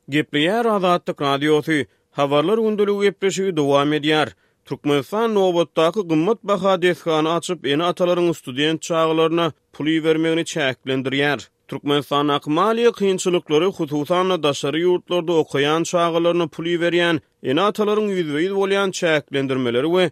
Gepleýär Azatlyk Radiosy, Habarlar gündeligi gepleşigi dowam edýär. Türkmenistan nobatdaky gymmat baha desgany açyp, ene-atalaryň student çagalaryna pul ibermegini çäklendirýär. Türkmenistandaky maliýe kynçylyklary, hususan-da daşary ýurtlarda okaýan çagalaryna pul iberýän ene-atalaryň ýüzbe-ýüz bolýan çäklendirmeleri we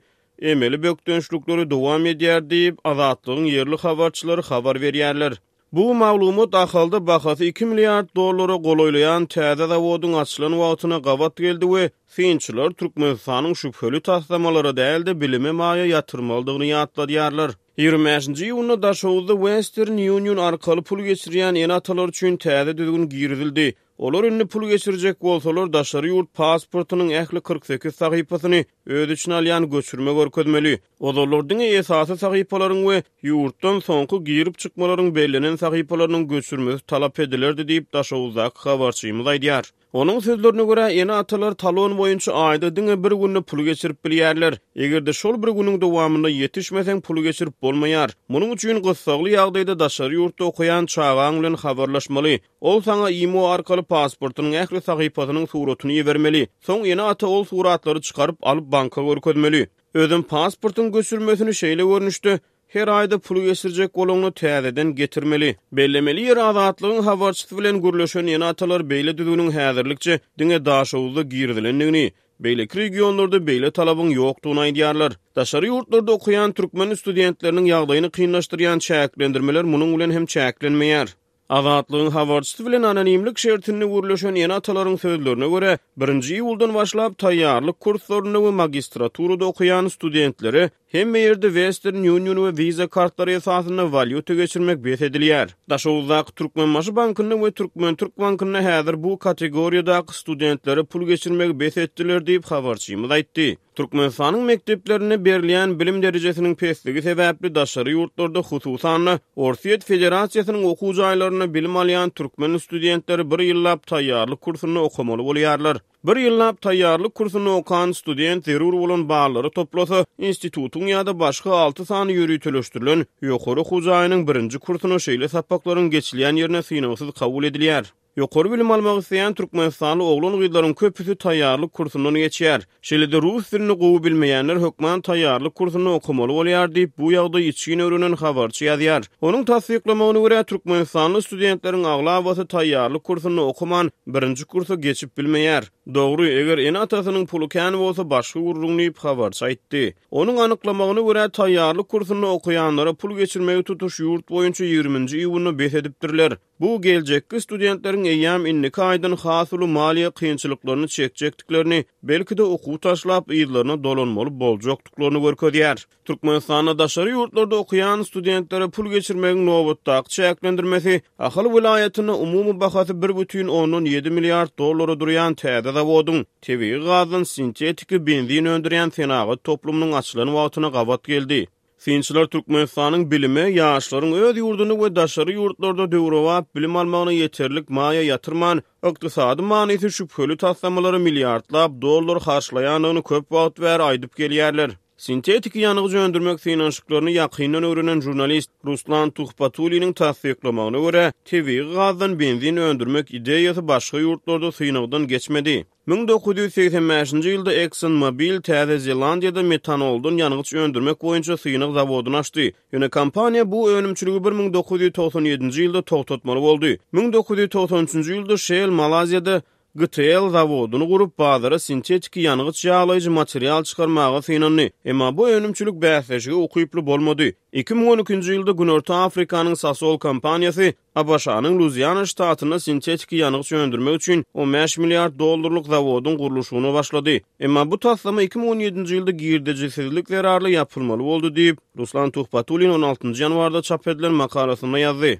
emeli bökdençlikleri dowam edýär diýip, Azatlygyň ýerli habarçylary habar berýärler. Bu maglumat Ahalda bahasy iki milliard dollara golaýlaýan täze zawodyň açylan wagtyna gabat geldi we synçylar Türkmenistanyň şübheli taslamalara däl-de, bilime maýa ýatyrmalydygyny ýatladýarlar. 25-nji iýunda Daşoguzda Western Union arkaly pul geçirýän ene-atalar üçin täze düzgün girizildi. Olar indi pul geçirjek bolsalar, daşary ýurt pasportynyň ähli 48 sahypasyny öz içine alýan göçürme görkezmeli. Ozallar diňe esasy sahypalaryň we ýurtdan soňky girip-çykmalaryň bellenen sahypalarynyň göçürmesi talap edilerdi diýip, Daşoguzdaky habarçymyz aýdýar. Onuň sözlerine görä, ene-atalar talon boýunça aýda diňe bir günde pul geçirip bilýärler. Eger-de şol bir günüň dowamynda ýetişmeseň, pul geçirip bolmaýar. Munuň üçin gyssagly ýagdaýda daşary ýurtda okaýan çagaň bilen habarlaşmaly. Ol saňa imo arkaly pasportynyň ähli sahypasynyň suratyny ibermeli. Soň ene-ata ol suratlary çykaryp alyp banka görkezmeli. Özem pasportyň göçürmesini şeýle görnüşde her aýda pul geçirjek bolaňda täzeden getirmeli. Bellemeli ýeri Azatlygyň habarçysy bilen gürleşen ene-atalar beýle düzgüniň häzirlikçe diňe Daşoguzda girizilendigini, beýleki regionlarda beýle talabyň ýokdugyny aýdýarlar. Daşary ýurtlarda okaýan türkmen studentleriniň ýagdaýyny kynlaşdyrýan çäklendirmeler munuň bilen hem çäklenmeýär. Azatlygyň habarçysy bilen anonimlik şertinde gürleşen ene-atalaryň sözlerine görä, birinji iýuldan başlap taýýarlyk kurslarynda we magistraturada okaýan studentlere hemme ýerde Western Union we Visa kartlary esasynda walýuta geçirmek bes edilýär. Daşoguzdaky Türkmenbaşy bankynda we Türkmen-Türk bankynda häzir bu kategoriýadaky studentlere pul geçirmegi bes etdiler diýip, habarçymyz aýtdy. Türkmenistanyň mekdeplerinde berilýän bilim derejesiniň pesligi sebäpli daşary ýurtlarda, hususan-da, Orsýet Federasiýasynyň okuw jaýlarynda bilim alýan türkmen studentleri bir ýyllap taýýarlyk kursunda okamaly bolýarlar. Bir ýyllap taýýarlyk kursunda okan student zerur bolan ballary toplasa, institutyň ýa-da başga alty sany ýöriteleşdirilen ýokary okuw jaýynyň birinji kursuna şeýle sapaklaryň geçilýän ýerine synagsyz kabul edilýär. Ýokary bilim almak isleýän türkmenistanly oglan-gyzlaryň köpüsi taýýarlyk kursundan geçýär. Şeýle-de rus dilini gowy bilmeýänler hökman taýýarlyk kursunda okamaly bolýar diýip, bu ýagdaýy içgin öwrenen habarçy ýazýar. Onuň tassyklamagyna görä, türkmenistanly studentleriň aglabasy taýýarlyk kursunda okaman, birinji kursa geçip bilmeýär. Dogry, eger ene-atasynyň puly kän bolsa başga gürrüň diýip, habarçy aýtdy. Onuň anyklamagyna görä, taýýarlyk kursunda okaýanlara pul geçirmegi tutuş ýurt boýunça ýigriminji iýunda bes edipdirler. Bu geljekki studentleriň eýýäm indiki aýdan has uly maliýe kynçylyklaryny çekjekdiklerini, belki-de okuw taşlap yzlaryna dolanmaly boljakdyklaryny görkezýär. Türkmenistanda daşary ýurtlarda okaýan studentlere pul geçirmegiň nobatdaky çäklendirmesi Ahal welaýatynda umumy bahasy bir bütin ondan ýedi milliard dollara durýan täze zawodyň, tebigy gazdan sintetiki benzin öndürýän senagat toplumynyň açylan wagtyna gabat geldi. Synçylar Türkmenistanyň bilime, ýaşlaryň öz ýurdunda we daşary ýurtlarda döwrebap bilim almagyna ýeterlik maýa ýatyrman, ykdysady manysy şübheli taslamalara milliardlap dollar harçlaýandygyny köp wagt bäri aýdyp gelýärler. Sintetiki ýangyç öndürmek synanyşyklaryny ýakyndan öwrenen žurnalist Ruslan Tuhbatulliniň tassyklamagyna görä, tebigy gazdan benzin öndürmek ideýasy başga ýurtlarda synagdan geçmedi. 1985-nji ýylda Exxon Mobil Täze Zelandiýada metanoldan ýangyç öndürmek boýunça synag zawodyny açdy. Ýöne kompaniýa bu önümçiligi 1997-nji ýylda togtatmaly boldy. 1993-nji ýylda Shell Malaýziýada GTL zawodyny gurup, bazara sintetiki ýangyç ýaglaýjy material çykarmaga synandy. Emma bu önümçilik bäsleşige ukyply bolmady. 2012-nji ýylda Günorta Afrikanyň Sasol kompaniýasy ABŞ-nyň Luiziana ştatynda sintetiki ýangyç öndürmek üçin 15 milliard dollarlyk zawodyň gurluşygyna başlady. Emma bu taslama 2017-nji ýylda girdejisizlik zerarly ýapylmaly boldy diýip, Ruslan Tuhbatullin on altynjy ýanwarda çap edilen makalasynda ýazdy.